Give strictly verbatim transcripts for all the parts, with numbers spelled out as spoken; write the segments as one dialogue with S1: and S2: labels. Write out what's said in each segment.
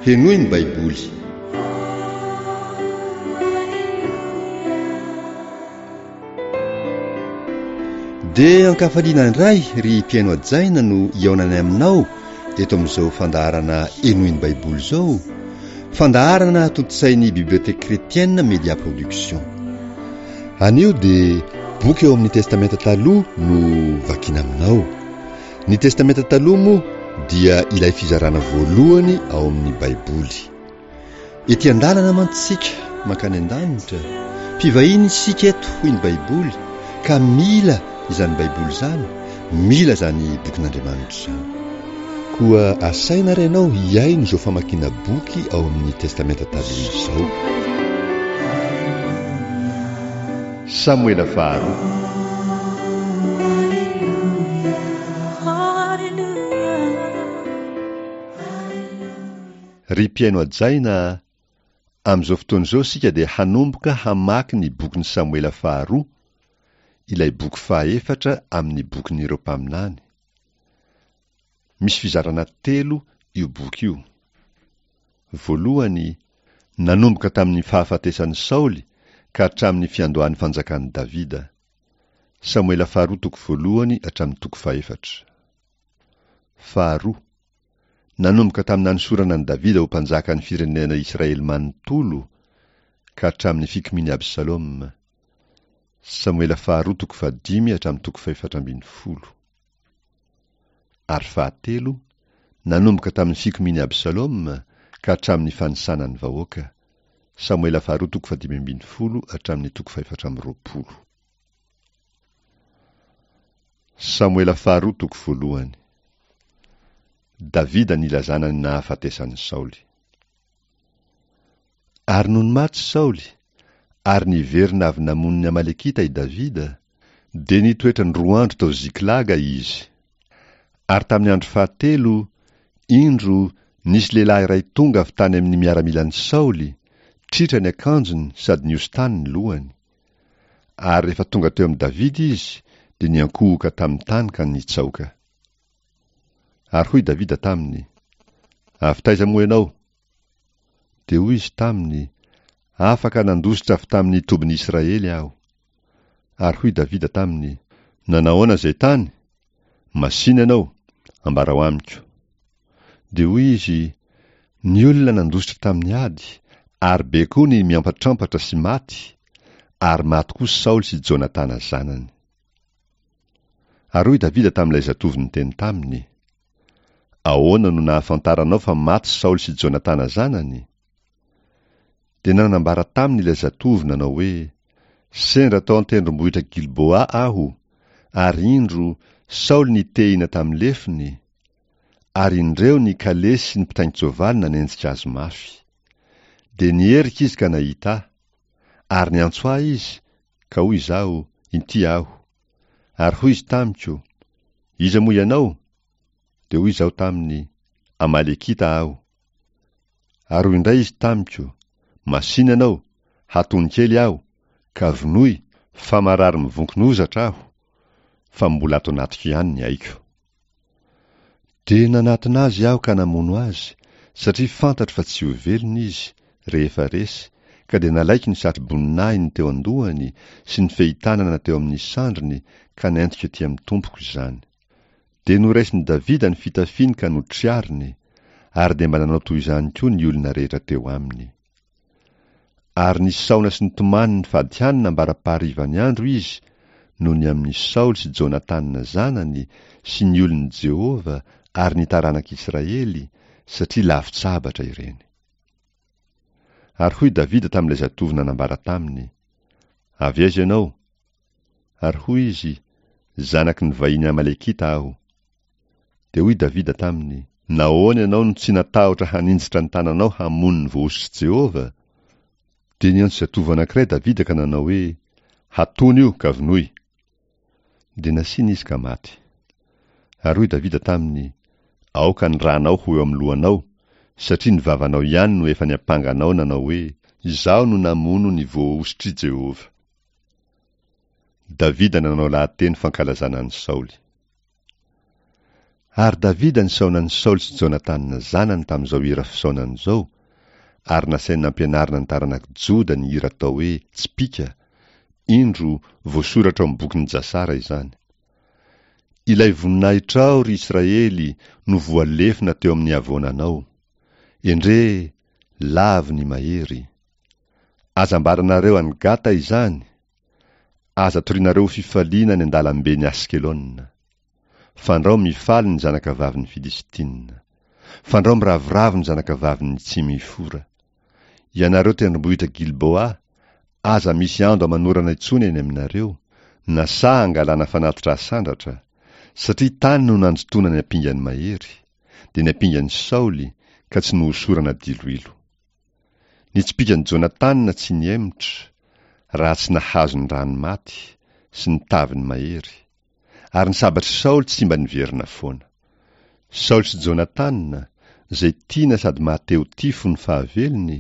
S1: Henoy ny Baiboly. Dia ankafaliana indray ry mpihaino hajaina no hihaonanay aminao eto amin'izao fandaharana Henoy ny Baiboly izao, fandaharana tontosain'ny Bibliothèque Chrétienne Media Production. Anio dia boky eo amin'ny Testamenta Taloha no vakiana aminao. Ny Testamenta Taloha moa dia ilay fizarana voalohany ao amin'ny Baiboly. Ety an-dalana mantsy isika mankany an-danitra, mpivahiny isika eto hoy ny Baiboly ka mila izany Baiboly izany, mila izany bokin'Andriamanitra izany. Koa asaina ary ianao hihaino izao famakiana boky ao amin'ny Testamenta Taloha izao. Samoela faharoa. Ry mpihaino hajaina a, amin'izao fotoana izao isika dia hanomboka hamaky ny bokin'i Samoela faharoa, ilay boky fahaefatra amin'ny bokin'ireo mpaminany. Misy fizarana telo io boky io. Voalohany, nanomboka tamin'ny fahafatesan'i Saoly ka hatramin'ny fiandohan'ny fanjakan'i Davida. Samoela faharoa toko voalohany hatramin'ny toko fahefatra. Faharoa, nanomboka tamin'ny nanosorana an'i Davida ho mpanjakan'ny firenena Israely manontolo ka hatramin'ny fikomian'i Absaloma. Samoela faharoa toko fahadimy hatramin'ny toko fahefatra ambin'ny folo. Ary fahatelo, nanomboka tamin'ny fikomian'i Absaloma ka hatramin'ny fanisana ny vahoaka. Samoela faharoa toko fahadimy ambin'ny folo hatramin'ny toko fahefatra amby roapolo. Samoela faharoa toko voalohany. Davida nilazana ny nahafatesan'i Saoly. Ary nony maty Saoly, ary niverina avy namono ny Amalekita i Davida, dia nitoetra ny roa andro tao Ziklaga izy. Ary tamin'ny andro fahatelo, indro, nisy lehilahy iray tonga avy tany amin'ny miaramilan'i Saoly, tritra ny akanjony sady nihosin-tany ny lohany. Ary rehefa tonga teo amin'i Davida izy, dia niankohoka tamin'ny tany ka nitsaoka. Ary hoy Davida taminy, Avy taiza moa ianao? Dia hoy izy taminy, Afaka nandositra avy tamin'ny tobin'i Israely aho. Ary hoy Davida taminy, Nanahoana izay tany? Masìna ianao, ambarao amiko. Dia hoy izy, Ny olona nandositra tamin'ny ady, ary be koa ny miampatrampatra sy maty, ary maty koa Saoly sy Jonatana zanany. Ary hoy Davida tamin'ilay zatovo niteny taminy, Ahoana no nahafantaranao fa maty Saoly sy Jonatana zanany? Dia nanambara taminy ilay zatovo nanao hoe, Sendra tao an-tendrombohitra Gilboa aho, ary indro, Saoly nitehina tamin'ny lefony, ary indreo ny kalesy sy ny mpitaingin-tsoavaly nanenjika azy mafy. Dia niherika izy ka nahita ahy, ary niantso ahy izy, ka hoy izaho, Inty aho. Ary hoy izy tamiko, Iza moa ianao? Dia hoy izaho taminy, Amalekita aho. Ary hoy indray izy tamiko, Masìna ianao, hatony kely aho, ka vonoy, fa marary mivonkon'ozatra aho, fa mbola ato anatiko ihany ny aiko. Dia nanatona azy aho ka namono azy, satria fantatro fa tsy ho velona izy, rehefa resy, ka dia nalaiko ny satroboninahiny teo an-dohany sy ny fehitanana teo amin'ny sandriny ka nentiko ety amin'ny tompoko izany. Dia noraisin'i Davida ny fitafiany ka notriariny, ary dia mba nanao toy izany koa ny olona rehetra teo aminy. Ary nisaona sy nitomany nifady hanina ambara-paharivan'ny andro izy noho ny amin'i Saoly sy Jonatana zanany sy ny olon'i Jehovah ary ny taranak'Israely, satria lavon-tsabatra ireny. Ary hoy Davida tamin'ilay zatovo nanambara taminy, Avy aiza ianao? Ary hoy izy, Zanaky ny vahiny Amalekita aho. Dia hoy Davida taminy, Nahoana ianao no tsy natahotra haninjitra ny tananao hamono ny voahosotr'i Jehovah? Dia niantso zatovo anankiray Davida ka nanao hoe, Hatony io, ka vonoy. Dia nasiana izy ka maty. Ary hoy Davida taminy, Aoka ny ranao ho eo amin'ny lohanao, satria ny vavanao ihany no efa niampanga anao nanao hoe, Izaho no namono ny voahosotr'i Jehovah. Davida nanao lahateny fankalazana an'i Saoly. Ary Davida nisaona an'i Saoly sy Jonatana zanany tamin'izao hira fisaonana izao, ary nasainy nampianarina ny taranak'i Joda ny hira atao hoe Tsipìka, indro voasoratra ao amin'ny bokin'i Jasara izany. Ilay voninahitrao, ry Israely, no voalefona teo amin'ny havoananao. Endrey, lavo ny mahery. Aza ambaranareo any Gata izany, aza torianareo ho fifaliana any an-dalamben'i Askelona. Fandrao mifaly ny zanakavavin'ny Filistina. Fandrao miravoravo ny zanakavavin'ny Tsimifora. Ianareo tendrombohitra Gilboa, aza misy ando aman'orana intsony eny aminareo, na saha angalana fanatitra asandratra, satria tany no nanjotoana ny ampingan'ny mahery, dia ny ampingan'i Saoly, ka tsy nohosorana diloilo. Ny tsipìkan'i Jonatana tsy nihemotra, raha tsy nahazo ny rano maty sy ny taviny mahery, ary ny sabatr'i Saoly tsy mba niverina foana. Saoly sy Jonatana, izay tiana sady mahatehotia fony fahavelony,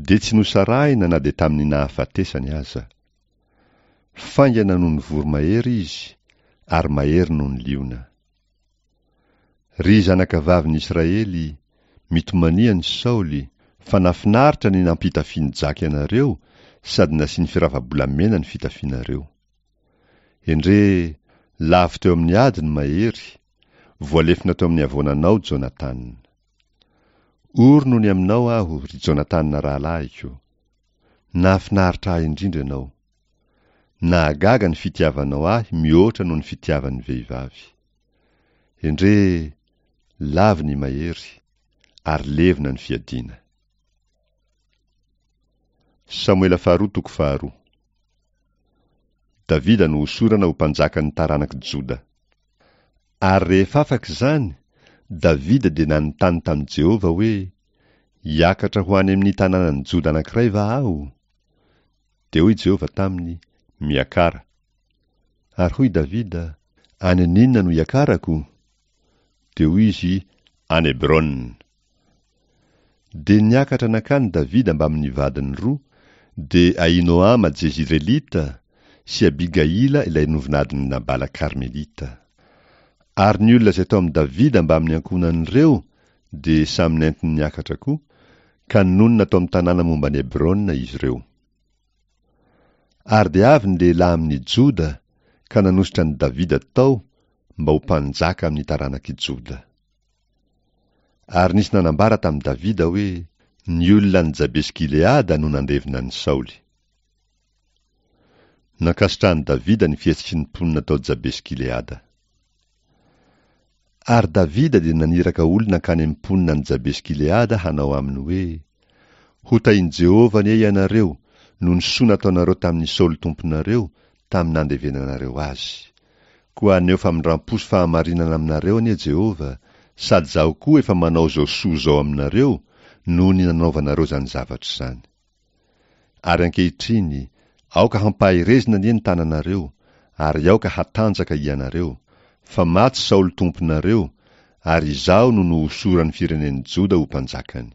S1: dia tsy nosarahina na dia tamin'ny nahafatesany aza. Faingana noho ny voromahery izy, ary mahery noho ny liona. Ry zanakavavin'i Israely, mitomania an'i Saoly, fa nahafinaritra ny nampitafian'i Jaky anareo sady nasiany firava-bolamena ny fitafianareo. Endrey, lavo teo amin'ny ady ny mahery, voalefona teo amin'ny havoananao Jonatana. Ory noho ny aminao aho, ry Jonatana rahalahiko. Nahafinaritra ahy indrindra ianao. Nahagaga ny fitiavanao ahy mihoatra noho ny fitiavan'ny vehivavy. Endrey, lavo ny mahery, ary levona ny fiadiana. Samoela faharoa toko faharoa. Davida no hosorana ho mpanjakan'ny taranak'i Joda. Ary rehefa afaka izany, Davida dia nanontany tamin'i Jehovah hoe, Hiakatra ho any amin'ny tanànan'i Joda anankiray va aho? Dia hoy Jehovah taminy, Miakara. Ary hoy Davida, Any aninona no hiakarako? Dia hoy izy, Any Hebrona. Dia niakatra nankany Davida mbamin'ny vadiny roa, dia Ahinoama Jezirelita sy Abigaila ilay novinadin'i Nabala Karmelita. Ary ny olona izay tao amin'i Davida mbamin'ny ankohonan'ireo dia samy nentiny niakatra koa, ka nonina tao amin'ny tanàna momba an'i Hebrona izy ireo. Ary dia avy ny lehilahy amin'i Joda ka nanositra an'i Davida tao mba ho mpanjaka amin'ny taranak'i Joda. Ary nisy nanambara tamin'i Davida hoe, Ny olona any Jabesy-Gileada no nandevina an'i Saoly. Nankasitrahan'i Davida ny fihetsiky ny mponina tao Jabesy-Gileada. Ary Davida dia naniraka olona hankany amin'ny mponina any Jabesy-Gileada hanao aminy hoe, Hotahin'i Jehovah anie ianareo noho ny soa nataonareo tamin'i Saoly tomponareo tamin'ny nandevenanareo azy. Koa haneho famindram-po sy fahamarinana aminareo anie Jehovah, sady izaho koa efa manao izao soa izao aminareo noho ny nanaovanareo izany zavatra izany. Ary ankehitriny, aoka hampaherezina anie ny tananareo, ary aoka hatanjaka hianareo, fa maty Saoly tomponareo, ary izaho no nohosoran'ny firenen'i Joda ho mpanjakany.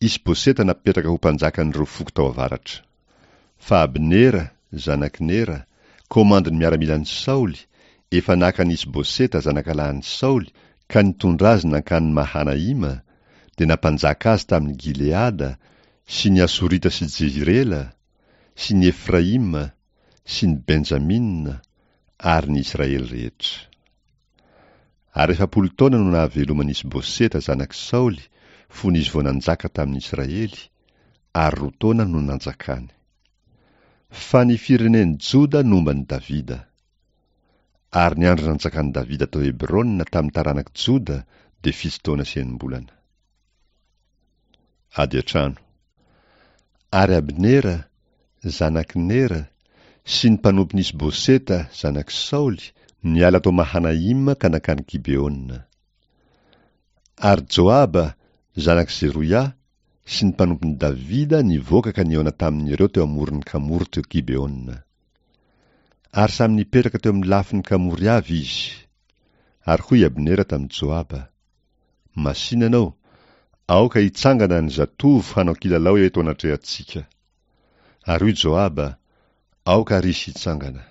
S1: Isboseta napetraka ho mpanjakan'ireo foko tao avaratra. Fa Abnera, zanak'i Nera, komandin'ny miaramilan'i Saoly, efa naka an'i Isboseta zanakalahin'i Saoly ka nitondra azy nankany Mahanaima, dia nampanjaka azy tamin'i Gileada sy ny Asorita sy Jezirela, sy ny Efraima, sy ny Benjamina, ary ny Israely rehetra. Ary efapolo taona no nahaveloman'i Isboseta zanak'i Saoly fony izy vao nanjaka tamin'ny Israely, ary roa taona no nanjakany. Fa ny firenen'i Joda nomba an'i Davida. Ary ny andro nanjakan'i Davida tao Hebrona tamin'ny taranak'i Joda dia fito taona sy enim-bolana. Ady an-trano. Ary Abnera, zanak'i Nera, sy ny mpanompon'i Isboseta, zanak'i Saoly, niala tao Mahanaima ka nankany Gibeona. Ary Joaba, zanak'i Zeroia, sy ny mpanompon'i Davida nivoaka ka nihaona tamin'ireo teo amoron'ny kamory teo Gibeona. Ary samy nipetraka teo amin'ny lafin'ny kamory avy izy. Ary hoy Abnera tamin'i Joaba, Masìna ianao, aoka hitsangana ny zatovo hanao kilalao eto anatrehantsika. Ary hoy Joaba, Aoka ary izy hitsangana.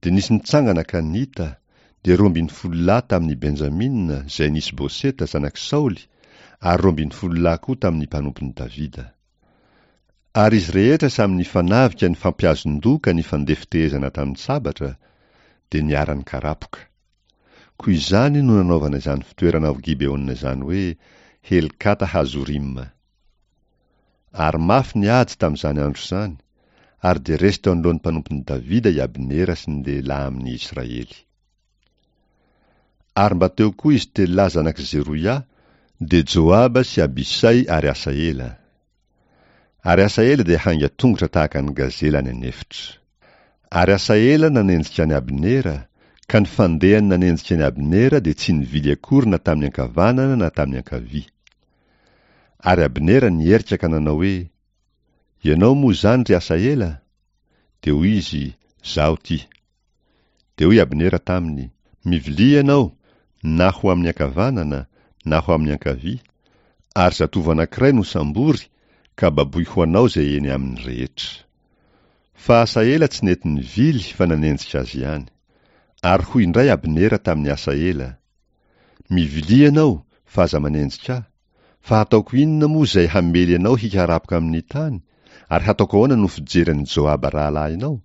S1: Dia nisy nitsangana ka nita, dia roa ambin'ny folo lahy tamin'ny Benjamina izay nisy Boseta zanak'i Saoly, ary roa ambin'ny folo lahy koa tamin'ny mpanompon'i Davida. Ary izy rehetra samy nifanavika nifampiazon-doha ka nifandefitehezana tamin'ny sabatra, dia niara-nikarapoka. Koa izany no nanaovana izany fitoerana ao Gibeona izany hoe Helkata Hazorima. Ary mafy ny ady tamin'izany andro izany, ary dia resy teo anoloan'ny mpanompon'i Davida i Abnera sy ny lehilahy amin'ny Israely. Ary mba teo koa izy telo lahy zanak'i Zeroia, dia Joaba sy Abisay ary Asaela. Ary Asaela dia hainga tongotra tahaka ny gazela any an'efitra. Ary Asaela nanenjika an'i Abnera, ka ny fandehany nanenjika an'i Abnera dia tsy nivily akory na tamin'ny ankavanana na tamin'ny ankavia. Ary Abnera niherika ka nanao hoe, Ianao moa izany ry Asaela? Dia hoy izy, Izaho ity. Dia hoy Abnera taminy, Mivilia ianao, na ho amin'ny ankavanana, na ho amin'ny ankavia, ary zatovo anankiray no sambory, ka baboy ho anao izay eny aminy rehetra. Fa Asaela tsy nety nivily fa nanenjika azy ihany. Ary hoy indray Abnera tamin'i Asaela, Mivilia ianao, fa aza manenjika ahy, fa hataoko inona moa izay hamely anao hikarapoka amin'ny tany, ary hataoko ahoana no fijery an'i Joaba rahalahinao?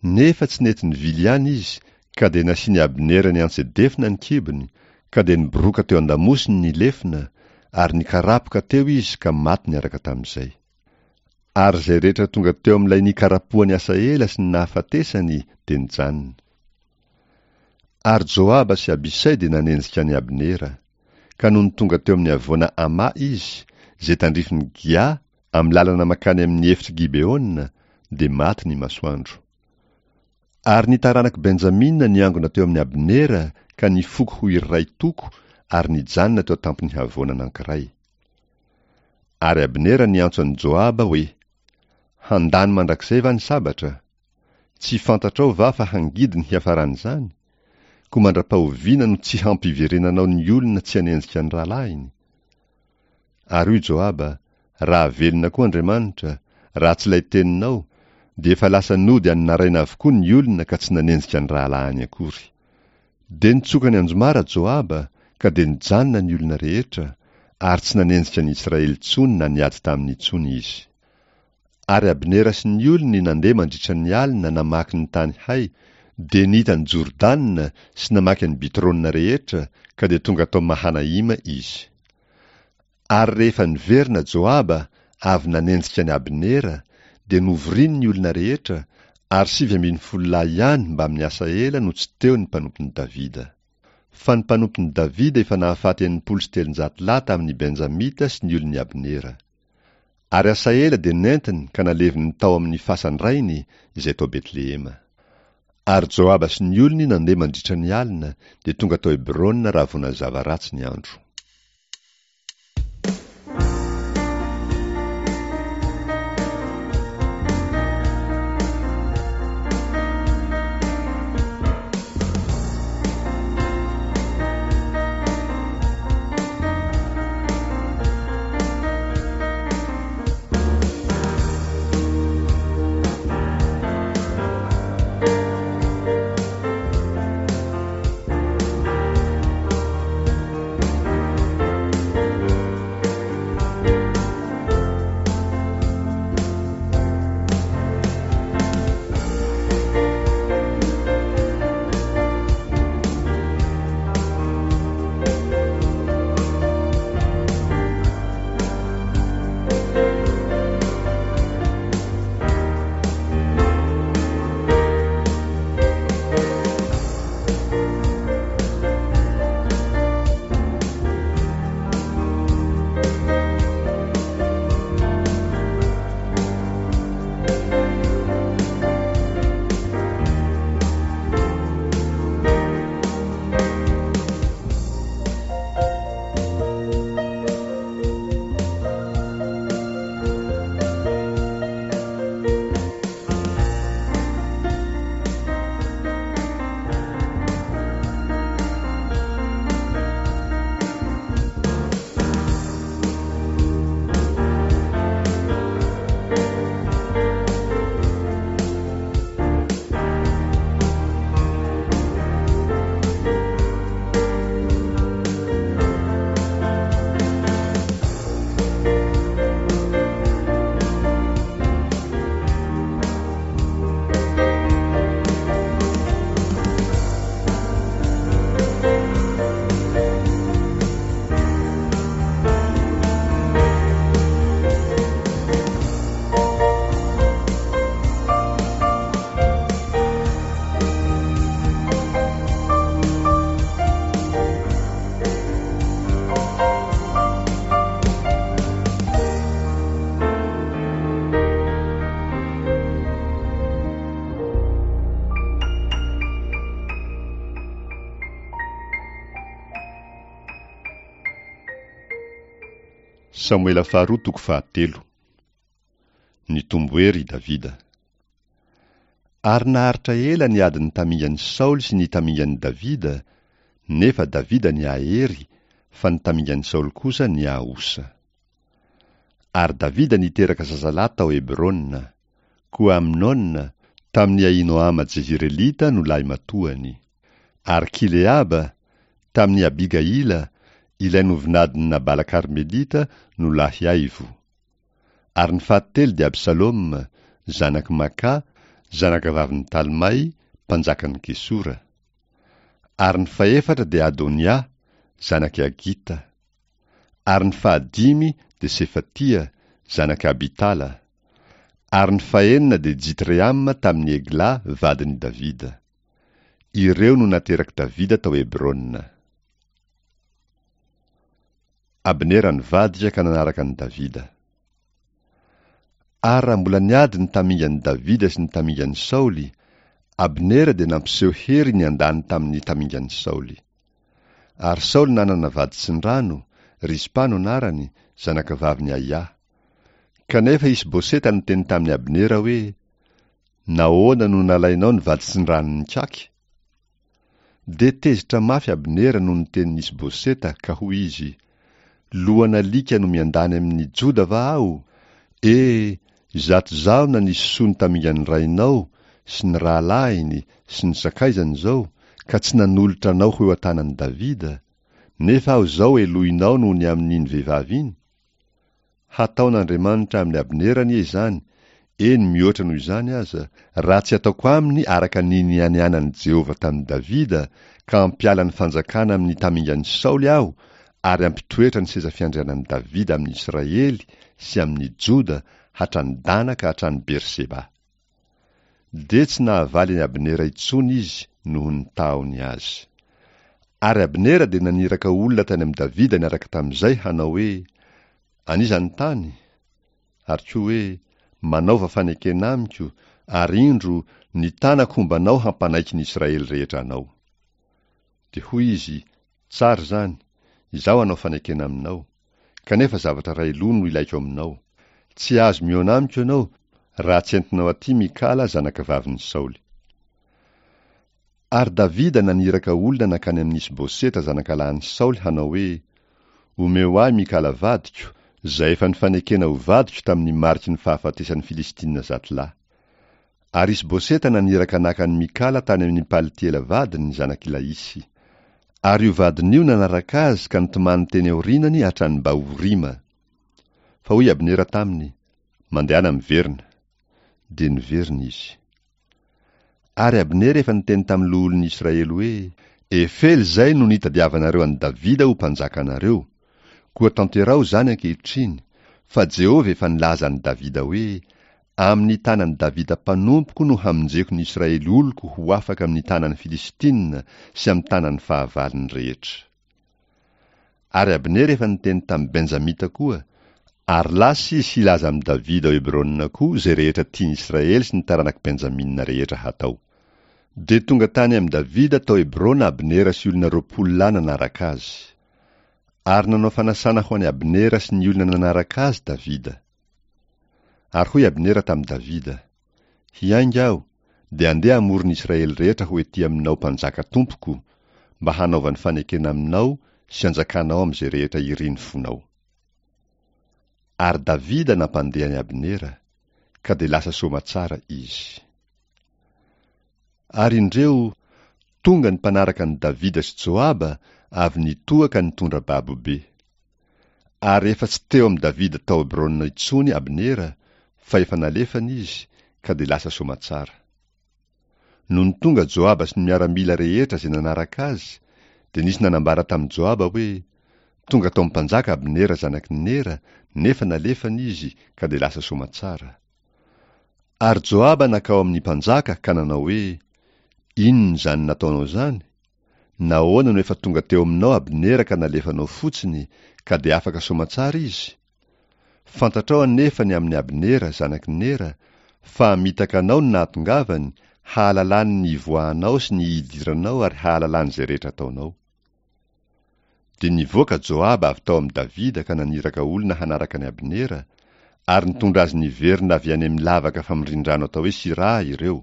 S1: Nefa tsy nety nivily ihany izy, ka dia nasian'i Abnera niantsedefina ny kibony, ka dia niboroaka teo an-damosiny ny lefona, ary nikarapoka teo izy ka maty niaraka tamin'izay. Ary izay rehetra tonga teo amin'ilay nikarapohan'i Asaela sy ny nahafatesany dia nijanona. Ary Joaba sy Abisay dia nanenjika an'i Abnera, ka nony tonga teo amin'ny havoana Ama izy, izay tandrifin'i Gia, amin'ny lalana mankany amin'ny efitr'i Gibeona, dia maty ny masoandro. Ary ny taranak'i Benjamina niangona teo amin'i Abnera ka nifoko ho iray toko ary nijanona teo an-tampon'ny havoana anankiray. Ary Abnera niantso an'i Joaba hoe, Handany mandrakizay va ny sabatra? Tsy fantatrao va fa hangidy ny hiafaran'izany? Koa mandra-pahoviana no tsy hampiverenanao ny olona tsy hanenjika ny rahalahiny? Ary hoy Joaba, Raha velona koa Andriamanitra, raha tsy ilay teninao, dia efa lasa nody any naraina avokoa ny olona ka tsy nanenjika ny rahalahiny akory. Dia nitsoka ny anjomara Joaba, ka dia nijanona ny olona rehetra, ary tsy nanenjika ny Israely intsony na niady taminy intsony izy. Ary Abnera sy ny olony nandeha mandritra ny alina namaky ny tany hay, dia nita an'i Jordana sy namaky an'i Bitrona rehetra, ka dia tonga tao Mahanaima izy. Ary rehefa niverina Joaba avy nanenjika an'i Abnera, dia novoriny ny olona rehetra, ary sivy ambin'ny folo lahy ihany mbamin'i Asaela no tsy teo ny mpanompon'i Davida. Fa ny mpanompon'i Davida efa nahafaty enimpolo sy telonjato lahy tamin'ny Benjamita sy ny olon'i Abnera. Ary Asaela dia nentiny ka naleviny tao amin'ny fasan-drainy izay tao Betlehema. Ary Joaba sy ny olony nandeha mandritra ny alina, dia tonga tao Hebrona raha vao nazava ratsy ny andro. Samoela faharoa toko fahatelo. Nitombo hery i Davida. Ary naharitra ela ny adin'ny tamingan'i Saoly sy ny tamingan'i Davida, nefa Davida nihahery, fa ny tamingan'i Saoly kosa nihaosa. Ary Davida niteraka zazalahy tao Hebrona. Koa Amnona, tamin'i Ahinoama Jezirelita no lahimatoany. Ary Kileaba, tamin'i Abigaila, ilay novinadin'i Nabala Karmelita no lahy aivo. Ary ny fahatelo dia Absaloma, zanak'i Maka, zanakavavin'i Talmay, mpanjakan'i Gesora. Ary ny fahefatra dia Adonia, zanak'i Hagita. Ary ny fahadimy dia Sefatia, zanak'i Abitala. Ary ny fahenina dia Jitreama tamin'i Egla, vadin'i Davida. Ireo no naterak'i Davida tao Hebrona. Abnera nivadika ka nanaraka an'i Davida. Ary raha mbola niady ny tamingan'i Davida sy ny tamingan'i Saoly, Abnera dia nampiseho hery niandany tamin'ny tamingan'i Saoly. Ary Saoly nanana vady tsindrano, Rizpa no anarany, zanakavavin'i Aia. Kanefa Isboseta niteny tamin'i Abnera hoe, "Nahoana no nalainao ny vady tsindranon'ny kaky?" Dia tezitra mafy Abnera noho ny tenin'i Isboseta ka hoy izy, "Lohan'alika no miandany amin'ny Joda va aho? E, izato izaho nanisy soa ny tamingan'ny rainao sy ny rahalahiny sy ny sakaizany izao, ka tsy nanolotra anao ho eo an-tanan'i Davida, nefa aho izao helohinao noho ny amin'iny vehivavy iny? Hataon'Andriamanitra amin'i Abnera anie izany, eny mihoatra noho izany aza, raha tsy ataoko aminy araka ny nianianan'i Jehovah tamin'i Davida, ka hampiala ny fanjakana amin'ny tamingan'i Saoly aho, ary hampitoetra ny seza fiandrianan'i Davida amin'ny Israely sy amin'ny Joda hatrany Dana ka hatrany Berseba." Dia tsy nahavaly an'i Abnera intsony izy noho ny tahony azy. Ary Abnera dia naniraka olona tany amin'i Davida niaraka tamin'izay hanao hoe, "An'iza ny tany?" Ary koa hoe, "Manaova fanekena amiko, ary indro ny tanako homba anao hampanaiky ny Israely rehetra anao." Dia hoy izy, "Tsara izany, izaho hanao fanekena aminao, kanefa zavatra iray loha no ilaiko aminao. Tsy azo mihaona amiko ianao raha tsy entinao aty Mikala zanakavavin'i Saoly." Ary Davida naniraka olona nankany amin'i Isboseta zanakalahin'i Saoly hanao hoe, "Omeo ahy Mikala vadiko, izay efa nifanekena ho vadiko tamin'ny mariky ny fahafatesan'ny Filistina zato lahy. Ary Isboseta naniraka naka an'i Mikala tany amin'ny Paltiela vadiny zanak'i Laisy. Ary io vadiny io nanaraka azy ka nitomany teny aorianany hatrany Bahorima. Fa hoy Abnera taminy, "Mandehana miverina." Dia niverina izy. Ary Abnera efa niteny tamin'ny loholon'ny Israely hoe, "Efely izay no nitadiavanareo an'i Davida ho mpanjakanareo. Koa tanteraho izany ankehitriny, fa Jehovah efa nilaza an'i Davida hoe, 'Amin'ny tanan'i Davida mpanompoko no hamonjeko ny Israely oloko ho afaka amin'ny tanan'ny Filistina sy amin'ny tanan'ny fahavalony rehetra." Ary Abnera efa niteny tamin'i Benjamita koa, ary lasa izy hilaza amin'i Davida ao Hebrona koa izay rehetra tian'i Israely sy ny taranak'i Benjamina rehetra hatao. Dia tonga tany amin'i Davida tao Hebrona Abnera sy olona roapolo lahy nanaraka azy. Ary nanao fanasana ho an'i Abnera sy ny olona nanaraka azy Davida. Ary hoy Abnera tamin'i Davida, "Hiainga aho, dia andeha hamory ny Israely rehetra ho ety aminao mpanjaka tompoko, mba hanaovany fanekena aminao sy hanjakanao amin'izay rehetra irin'ny fonao." Ary Davida nampandeha an'i Abnera, ka dia lasa soamatsara izy. Ary indreo, tonga ny mpanaraka an'i Davida sy Joaba avy nitoha ka nitondra babo be. Ary efa tsy teo amin'i Davida tao Hebrona intsony Abnera, fa efa nalefany izy, ka dia lasa soamatsara. Nony tonga Joaba sy ny miaramila rehetra izay nanaraka azy, dia nisy nanambara tamin'i Joaba hoe, "Tonga tao amin'ny mpanjaka Abnera zanak'i Nera, nefa nalefany izy, ka dia lasa soamatsara." Ary Joaba nankao amin'ny mpanjaka ka nanao hoe, "Inona izany nataonao izany? Nahoana no efa tonga teo aminao Abnera ka nalefanao fotsiny, ka dia afaka soamatsara izy? Fantatrao anefa ny amin'i Abnera zanak'i Nera, fa hamitaka anao ny nahatongavany, hahalalany ny ivoahanao sy ny hidiranao ary hahalalany izay rehetra ataonao." Dia nivoaka Joaba avy tao amin'i Davida ka naniraka olona hanaraka an'i Abnera, ary nitondra azy niverina avy any amin'ny lavaka famindrin-drano atao hoe Siraha ireo,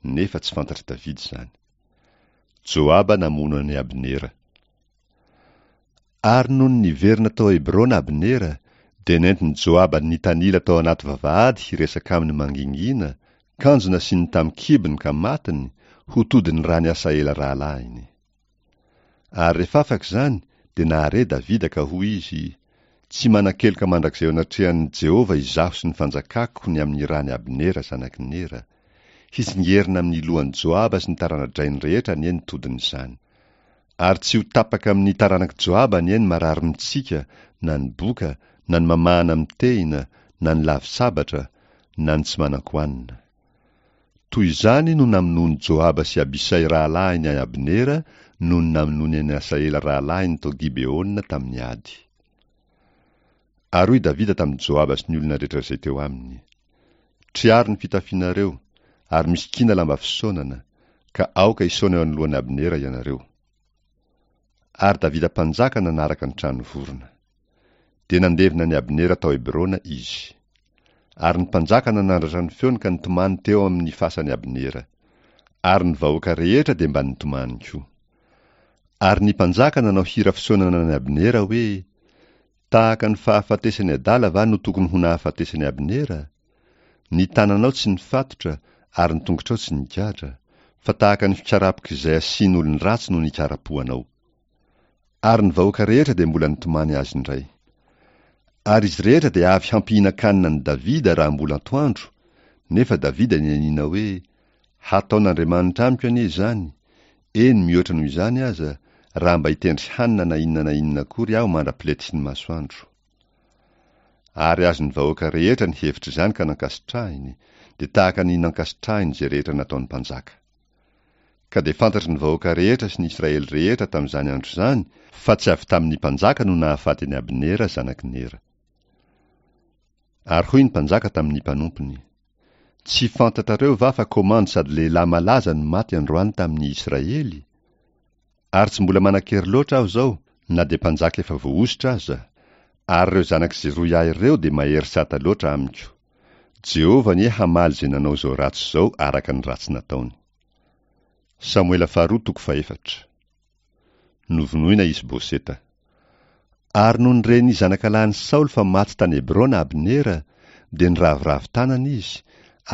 S1: nefa tsy fantatr'i Davida izany. Joaba namono an'i Abnera. Ary nony niverina tao Hebrona Abnera, dia nentin'i Joaba nitanila tao anaty vavahady hiresaka aminy mangingina, kanjo nasiany tamin'ny kibony ka matiny, ho todin'ny ran'i Asaela rahalahiny. Ary rehefa afaka izany, dia nahare Davida ka hoy izy, Tsy manan-keloka mandrakizay eo anatrehan'i Jehovah izaho sy ny fanjakako ny amin'ny ran'i Abnera zanak'i Nera. Hitsingerina amin'ny lohan'i Joaba sy ny tarana-drainy rehetra anie ny todin'izany. Ary tsy ho tapaka amin'ny taranak'i Joaba anie ny marary mitsika, na ny boka, na ny mamahana amin'ny tehina, na ny lavi-sabatra, na ny tsy manan-kohanina. Toy izany no namonoan'i Joaba sy Abisay rahalahiny an'i Abnera noho ny namonoany an'i Asaela rahalahiny tao Gibeona tamin'ny ady. Ary hoy Davida tamin'i Joaba sy ny olona rehetra izay teo aminy, Triaro ny fitafianareo, ary misikina lamba fisaonana, ka aoka hisaona eo anoloan'i Abnera ianareo. Ary Davida mpanjaka nanaraka ny trano vorona. Dia nandevina an'i Abnera tao Hebrona izy. Ary ny mpanjaka nanandratra ny feony ka nitomany teo amin'ny fasan'i Abnera. Ary ny vahoaka rehetra dia mba nitomany koa. Ary ny mpanjaka nanao hira fisaonana an'i Abnera hoe, Tahaka ny fahafatesan'ny adala va no tokony ho nahafatesan'i Abnera? Ny tananao tsy nifatotra ary ny tongotrao tsy nigadra, fa tahaka ny fikarapok'izay asian'olon-dratsy no nikarapohanao. Ary ny vahoaka rehetra dia mbola nitomany azy indray. Ary izy rehetra dia avy hampihinan-kanina an'i Davida raha mbola antoandro, nefa Davida nianiana hoe, Hataon'Andriamanitra amiko anie izany, eny mihoatra noho izany aza, raha mba hitendry hanina na inona na inona akory aho mandra-piletiky ny masoandro. Ary azon'ny vahoaka rehetra ny hevitr'izany ka nankasitrahiny, dia tahaka ny nankasitrahiny izay rehetra nataon'ny mpanjaka. Ka dia fantatry ny vahoaka rehetra sy ny Israely rehetra tamin'izany andro izany fa tsy avy tamin'ny mpanjaka no nahafaty an'i Abnera zanak'i Nera. Ary hoy ny mpanjaka tamin'ny mpanompony, Tsy fantatrareo va fa komandy sady lehilahy malaza no maty androany tamin'ny Israely? Ary tsy mbola manan-kery loatra aho izao, na dia mpanjaka efa voahosotra aza, ary ireo zanak'i Zeroia ireo dia mahery sata loatra amiko. Jehovah anie hamaly izay nanao izao ratsy izao araka ny ratsy nataony. Samoela faharoa toko fahefatra. Novonoina Isboseta. Ary nony ren'ny zanakalahin'i Saoly fa maty tany Hebrona Abnera, dia niraviravy tanana izy,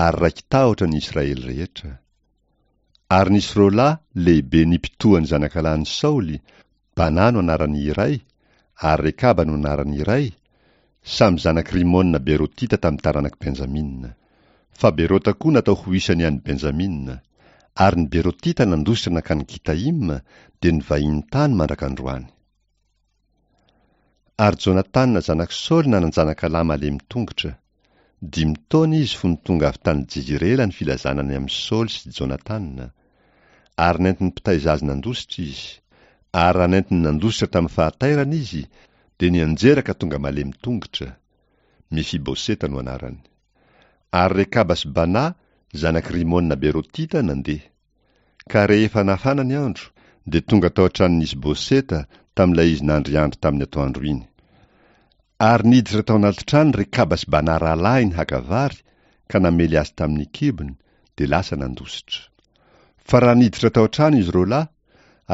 S1: ary raiki-tahotra ny Israely rehetra. Ary nisy roa lahy lehibe nipitohan'ny zanakalahin'i Saoly, Bana no anaran'ny iray, ary Rekaba no anaran'ny iray, samy zanak'i Rimona Berotita tamin'ny taranak'i Benjamina. Fa Berota koa natao ho isan'ny an'i Benjamina. Ary ny Berotita nandositra nankany Gitaima, dia nivahiny tany mandrak'androany. Ary Jonatana zanak'i Saoly nanan-janakalahy malemy tongotra. Dimy taona izy fony tonga avy tany Jezirela ny filazana ny amin'i Saoly sy Jonatana. Ary nentin'ny mpitaiza azy nandositra izy. Ary raha nentiny nandositra tamin'ny fahatairana izy, dia nianjera ka tonga malemy tongotra. Mefiboseta no anarany. Ary Rekaba sy Bana, zanak'i Rimona Berotita, nandeha. Ka rehefa nafana ny andro, dia tonga tao an-tranon'i Isboseta tamin'ilay izy nandriandry tamin'ny atoandro iny. Ary niditra tao anaty trano Rekaba sy Bana rahalahiny haka vary, ka namely azy tamin'ny kibony, dia lasa nandositra. Fa raha niditra tao an-trano izy roa lahy,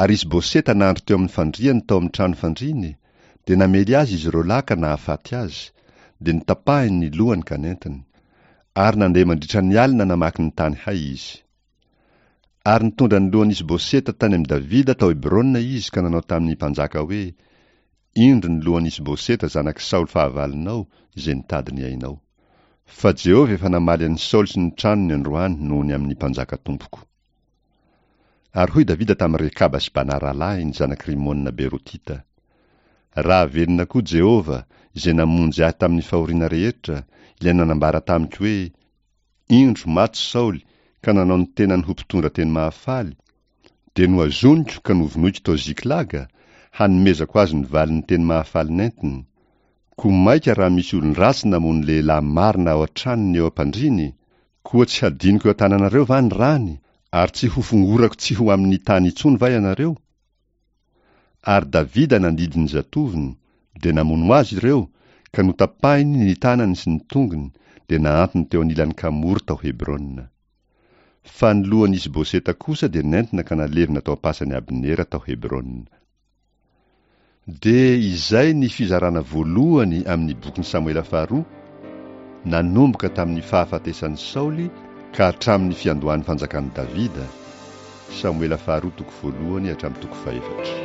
S1: ary Isboseta nandry teo amin'ny fandriany tao amin'ny trano fandriany, dia namely azy izy roa lahy ka nahafaty azy, dia notapahiny ny lohany ka nentiny. Ary nandeha mandritra ny alina namaky ny tany hay izy. Ary nitondra ny lohan'i Isboseta tany amin'i Davida tao Hebrona izy ka nanao tamin'ny mpanjaka hoe, Indro ny lohan'i Isboseta zanak'i Saoly fahavalonao, izay nitady ny ainao. Fa Jehovah efa namaly an'i Saoly sy ny tranony androany noho ny amin'ny mpanjaka tompoko. Ary hoy Davida tamin'i Rekaba sy Bana rahalahiny, zanak'i Rimona Berotita, Raha velona koa Jehovah, izay namonjy ahy tamin'ny fahoriana rehetra, ilay nanambara tamiko hoe, Indro, maty Saoly, ka nanao ny tenany ho mpitondra teny mahafaly, dia nohazoniko ka novonoiko tao Ziklaga, hanomezako azy ny valin'ny teny mahafaly nentiny. Koa mainka raha misy olon-dratsy namono lehilahy marina ao an-tranony eo am-pandriany, koa tsy hadinoko eo an-tananareo va ny rany, ary tsy hofongorako tsy ho amin'ny tany intsony va ianareo? Ary Davida nandidy ny zatovony, dia namono azy ireo, ka notapahiny ny tanany sy ny tongony, dia nahantony teo anilan'ny kamory tao Hebrona. Fa ny lohan'i Isboseta kosa dia nentina ka nalevina tao am-pasan'i Abnera tao Hebrona. Dia izay ny fizarana voalohany amin'ny bokin'i Samoela faharoa, nanomboka tamin'ny fahafatesan'i Saoly ka hatramin'ny fiandohan'ny fanjakan'i Davida, Samoela faharoa toko voalohany hatramin'ny toko fahefatra.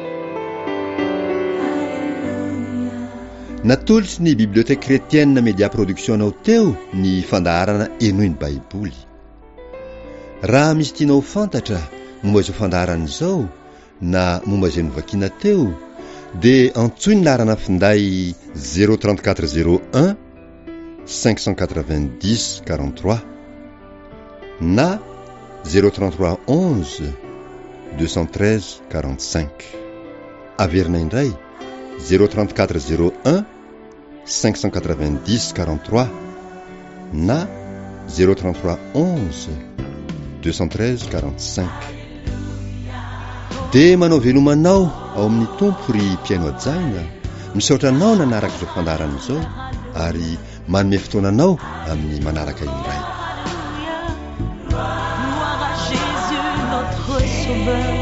S2: Natolotry ny Bibliothèque Chrétienne Media Production anao teo ny fandaharana Henoy ny Baiboly. Raha misy tianao ho fantatra momba izao fandaharana izao na momba izay novakiana teo dia antsoy ny laharana finday zéro trente quatre zéro un cinq cent quatre-vingt-dix quarante-trois na zéro trente-trois onze deux cent treize quarante-cinq. Averina indray zéro trente-quatre zéro un cinq cent quatre-vingt-dix quarante-trois na zéro trente-trois onze deux cent treize quarante-cinq. Dia manao veloma anao ao amin'ny Tompo ry mpihaino hajaina, misaotra anao nanaraka izao fandaharana izao ary manome fotoana anao amin'ny manaraka indray.
S3: Gloire à Jésus, notre Sauveur.